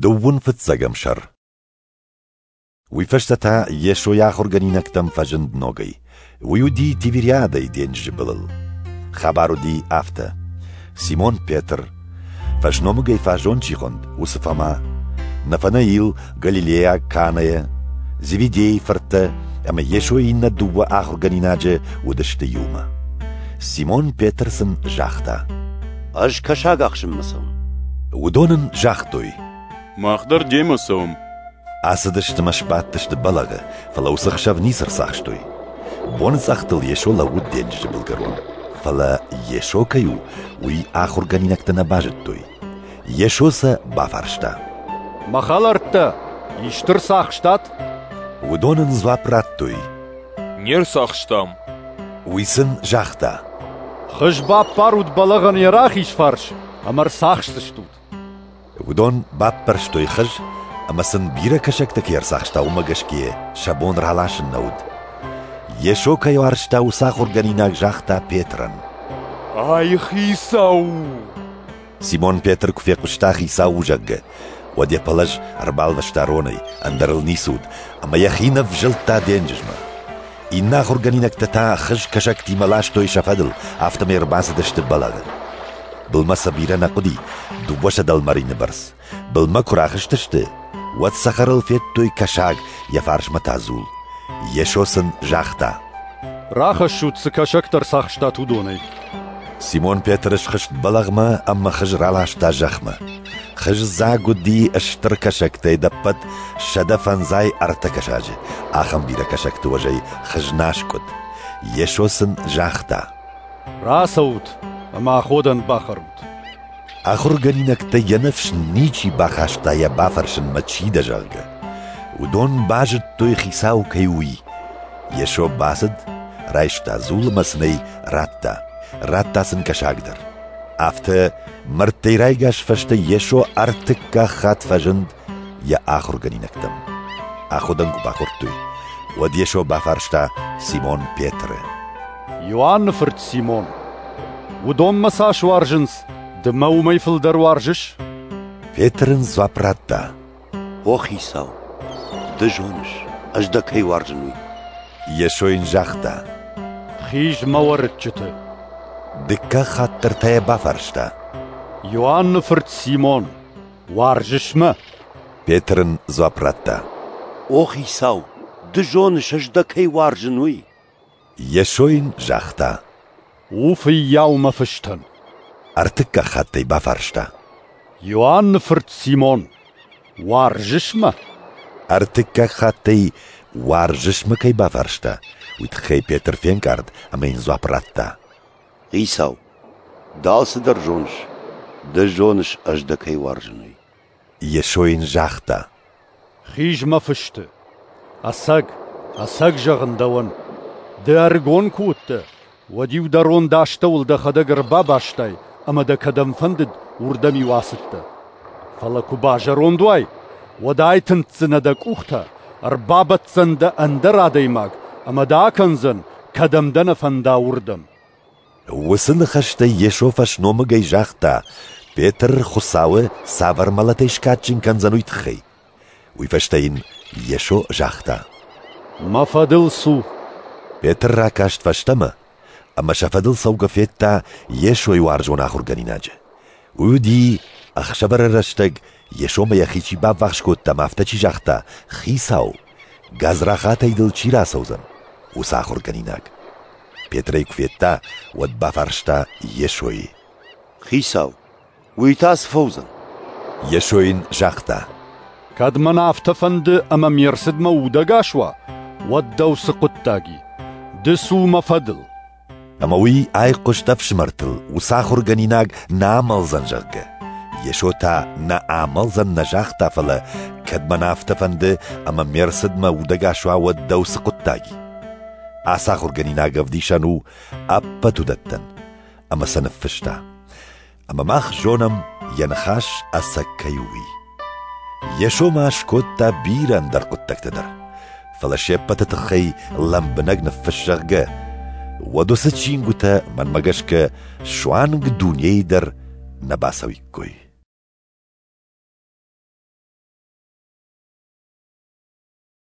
Дыууын фыццӕгӕм сӕр. Уый фӕстӕ та Йесо йӕ ахуыргӕнинӕгтӕм фӕзынд ногӕй. Уый уыди Тивериадӕйы денджызы былыл. Хабар уыди афтӕ. Симон Петр, фӕсномыгӕй фаззон чи хуынд, уыцы Фома, Нафанаил, галилейаг Канӕйӕ, Зеведейы фырттӕ ӕмӕ Йесойы иннӕ дыууӕ ахуыргӕнинаджы уыдысты иумӕ. Симон Петр сын загъта: Ӕз кӕсаг ахсынмӕ цӕуын. Уыдон ын загътой: Мах дӕр демӕ цӕуӕм. Ацыдысты мӕ сбадтысты бӕлӕгъы, фӕлӕ уыцы хсӕв ницы рцахстой. Боныцъӕхтыл Йесо лӕууыд денджызы былгӕрон. Фӕлӕ Йесо кӕй у, уый ахуыргӕнинӕгтӕ нӕ базыдтой. Йесо сӕ бафарста: Мӕ хӕлӕрттӕ, исты рцахстат? Уыдон ын дзуапп радтой: Не рцахстам. Уый сын загъта: Хыз баппарут бӕлӕгъӕн йӕ рахиз фарс, ӕмӕ рцахсдзыстут. Уыдон баппӕрстой хыз, ӕмӕ сын бирӕ кӕсӕгтӕ кӕй ӕрцахста, уымӕ гӕсгӕ сӕ бон раласын нӕ уыд. Йесо кӕй уарзта, уыцы ахуыргӕнинаг загъта Петрӕн: Ай Хицау у! Симон Петр куы фехъуыста Хицау у, зӕгъгӕ, уӕд йӕ пӕлӕз ӕрбалвӕста ронӕй, ӕндӕр ыл ницы уыд, ӕмӕ йӕхи нывзылдта денджызмӕ. Иннӕ ахуыргӕнинӕгтӕ та хыз кӕсӕгтимӕ ластой сӕ фӕдыл, афтӕмӕй ӕрбацыдысты бӕлӕгъы. Былмӕ сӕ бирӕ нӕ хъуыди, дыууӕ дӕлмӕрины бӕрц. Былмӕ куы рахызтысты, уӕд цӕхӕрыл федтой кӕсаг, йӕ фарсмӕ та дзул. Йесо сын загъта: Рахӕссут, цы кӕсӕгтӕ рцахстат, уыдонӕй. Симон Петр схызт бӕлӕгъмӕ ӕмӕ хыз раласта зӕхмӕ. Хыз дзаг уыди стыр кӕсӕгтӕй ӕдӕппӕт 153 кӕсаджы. Ахӕм бирӕ кӕсӕгты уӕзӕй хыз нӕ аскъуыд. Йесо сын загъта: Рацӕут ӕмӕ аходӕн бахӕрут. Ахуыргӕнинӕгтӕ йӕ ныфс ничи бахаста йӕ бафӕрсынмӕ, чи дӕ, зӕгъгӕ. Уыдон базыдтой, Хицау кӕй у, уый. Йесо бацыд, райста дзул ӕмӕ сын ӕй радта. Радта сын кӕсаг дӕр. Афтӕ мӕрдтӕй райгас фӕстӕ Йесо ӕртыккаг хатт фӕзынд йӕ ахуыргӕнинӕгтӕм. Аходӕн куы бахордтой, уӕд Йесо бафарста Симон Петры: Иоанны фырт Симон, уыдон мӕ цас уарзынц, ды мӕ уымӕй фылдӕр уарзыс? Петр ын дзуапп радта: О Хицау, ды зоныс, ӕз дӕ кӕй уарзын, уый. Йесо йын загъта: Хиз мӕ уӕрыччыты. Дыккаг хатт дӕр та йӕ бафарста: Иоанны фырт Симон, уарзыс мӕ? Петр ын дзуапп радта: О Хицау, ды зоныс, ӕз дӕ кӕй уарзын, уый. Йесо йын загъта: У фыййау мӕ фыстӕн. Ӕртыккаг хатт ӕй бафарста: Иоанны фырт Симон, уарзыс мӕ? Ӕртыккаг хатт ӕй уарзыс мӕ кӕй бафарста, уый тыххӕй Петр фенкъард ӕмӕ йын дзуапп радта: Хицау, ды алцыдӕр зоныс, ды зоныс, ӕз дӕ кӕй уарзын, уый. Йесо йын загъта: Хиз мӕ фысты. Ӕцӕг, ӕцӕг зӕгъын дӕуӕн, ды ӕрыгон куы уыдтӕ, уӕд-иу дӕ рон дӕ астӕуыл дӕхӕдӕг ӕрбабастай ӕмӕ дӕ кӕдӕм фӕндыд, уырдӕм-иу ацыдтӕ. Фӕлӕ куы базӕронд уай, уӕд айтындздзынӕ дӕ къухтӕ, ӕрбабӕтдзӕн дӕ ӕндӕр адӕймаг ӕмӕ дӕ акӕндзӕн, кӕдӕм дӕ нӕ фӕнда, уырдӕм. Уыцы ныхӕстӕй Йесо фӕсномыгӕй загъта, Петр Хуыцауы цавӕр мӕлӕтӕй скадджын кӕндзӕн, уый тыххӕй. Уый фӕстӕ йын Йесо загъта: Мӕ фӕдыл цу. Петр ракаст фӕстӕмӕ ӕмӕ сӕ фӕдыл цӕугӕ федта Йесойы уарзон ахуыргӕнинаджы. Уый уыди, ӕхсӕвӕры рӕстӕг Йесомӕ йӕхи чи баввахс кодта ӕмӕ афтӕ чи загъта: Хицау, гадзрахатӕй дыл чи рацӕудзӕн, уыцы ахуыргӕнинаг. Петр ӕй куы федта, уӕд бафарста Йесойы: Хицау, уый та цы фӕуыдзӕн? Йесо йын загъта: Кӕд мӕн афтӕ фӕнды, ӕмӕ ме рцыдмӕ удӕгас уа, уӕд дӕу цы хъуыддаг и? Ды цу мӕ фӕдыл. Ӕмӕ уый айхъуыст ӕфсымӕртыл, уыцы ахуыргӕнинаг нӕ амӕлдзӕн, зӕгъгӕ. Йесо та нӕ амӕлдзӕн нӕ загъта, фӕлӕ кӕд мӕн афтӕ фӕнды, ӕмӕ ме рцыдмӕ удӕгас уа, уӕд дӕу цы хъуыддаг и? Ацы ахуыргӕнинаг ӕвдисӕн у ӕппӕт уыдӕттӕн. Ӕмӕ сӕ ныффыста. Ӕмӕ мах зонӕм, йӕ ныхас ӕцӕг кӕй у, уый. Йесо ма скодта бирӕ ӕндӕр хъуыддӕгтӕ дӕр. Фӕлӕ се ппӕты тыххӕй лӕмбынӕг ныффысс, зӕгъгӕ, уӕд уыцы чингуытӕ, мӕнмӕ гӕсгӕ, суанг дунейы дӕр нӕ бацӕуиккой.